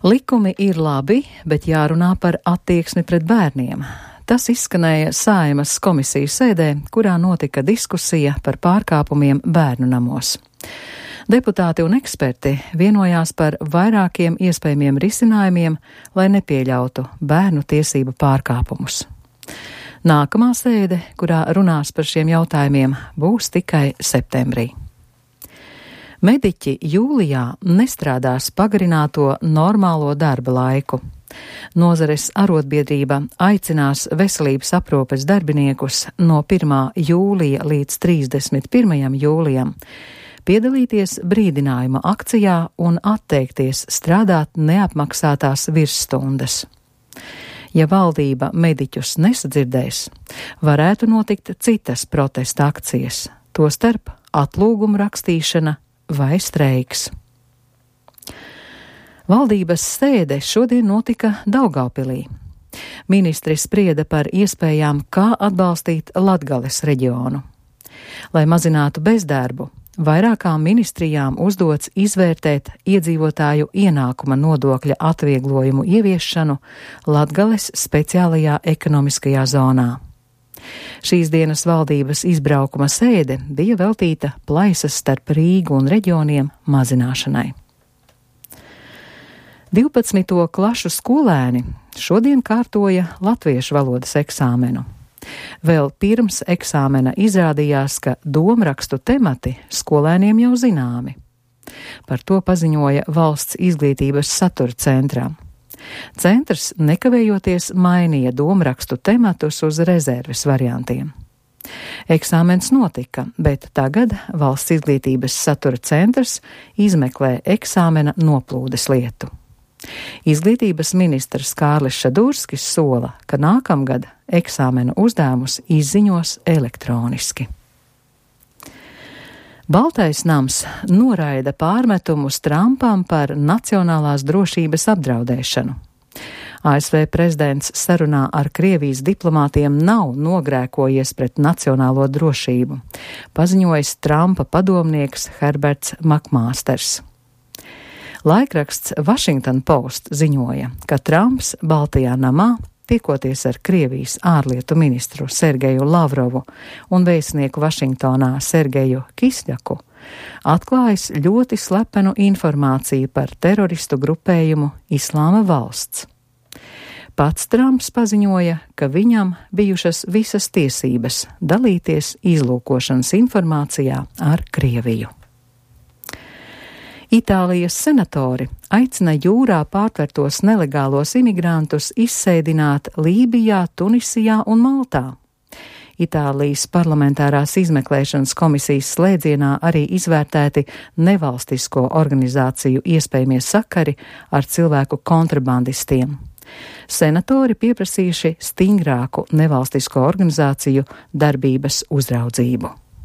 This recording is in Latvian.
Likumi ir labi, bet jārunā par attieksmi pret bērniem. Tas izskanēja Saeimas komisijas sēdē, kurā notika diskusija par pārkāpumiem bērnu namos. Deputāti un eksperti vienojās par vairākiem iespējamiem risinājumiem, lai nepieļautu bērnu tiesību pārkāpumus. Nākamā sēde, kurā runās par šiem jautājumiem, būs tikai septembrī. Mediķi jūlijā nestrādās pagarināto normālo darba laiku. Nozares arotbiedrība aicinās veselības aprūpes darbiniekus no 1. jūlija līdz 31. jūlijam piedalīties brīdinājuma akcijā un atteikties strādāt neapmaksātās virsstundas. Ja valdība mediķus nesadzirdēs, varētu notikt citas protesta akcijas, tostarp atlūguma rakstīšana vai streiks. Valdības sēde šodien notika Daugavpilī. Ministri sprieda par iespējām, kā atbalstīt Latgales reģionu. Lai mazinātu bezdarbu, vairākām ministrijām uzdots izvērtēt iedzīvotāju ienākuma nodokļa atvieglojumu ieviešanu Latgales speciālajā ekonomiskajā zonā. Šīs dienas valdības izbraukuma sēde bija veltīta plaisas starp Rīgu un reģioniem mazināšanai. 12. klašu skolēni šodien kārtoja latviešu valodas eksāmenu. Vēl pirms eksāmena izrādījās, ka domrakstu temati skolēniem jau zināmi. Par to paziņoja Valsts izglītības satura centrā. Centrs nekavējoties mainīja domrakstu tematus uz rezerves variantiem. Eksāmens notika, bet tagad Valsts izglītības satura centrs izmeklē eksāmena noplūdes lietu. Izglītības ministrs Kārlis Šadurskis sola, ka nākamgad eksāmena uzdevumus izziņos elektroniski. Baltais nams noraida pārmetumus Trumpam par nacionālās drošības apdraudēšanu. ASV prezidents sarunā ar Krievijas diplomātiem nav nogrēkojies pret nacionālo drošību, paziņojis Trumpa padomnieks Herberts Makmāsters. Laikraksts Washington Post ziņoja, ka Trumps Baltajā namā, tiekoties ar Krievijas ārlietu ministru Sergeju Lavrovu un vēstnieku Vašingtonā Sergeju Kisļaku, atklājis ļoti slepenu informāciju par teroristu grupējumu Islāma valsts. Pats Trumps paziņoja, ka viņam bijušas visas tiesības dalīties izlūkošanas informācijā ar Krieviju. Itālijas senatori aicina jūrā pārtvertos nelegālos imigrantus izsēdināt Lībijā, Tunisijā un Maltā. Itālijas parlamentārās izmeklēšanas komisijas slēdzienā arī izvērtēti nevalstisko organizāciju iespējamie sakari ar cilvēku kontrabandistiem. Senatori pieprasījuši stingrāku nevalstisko organizāciju darbības uzraudzību.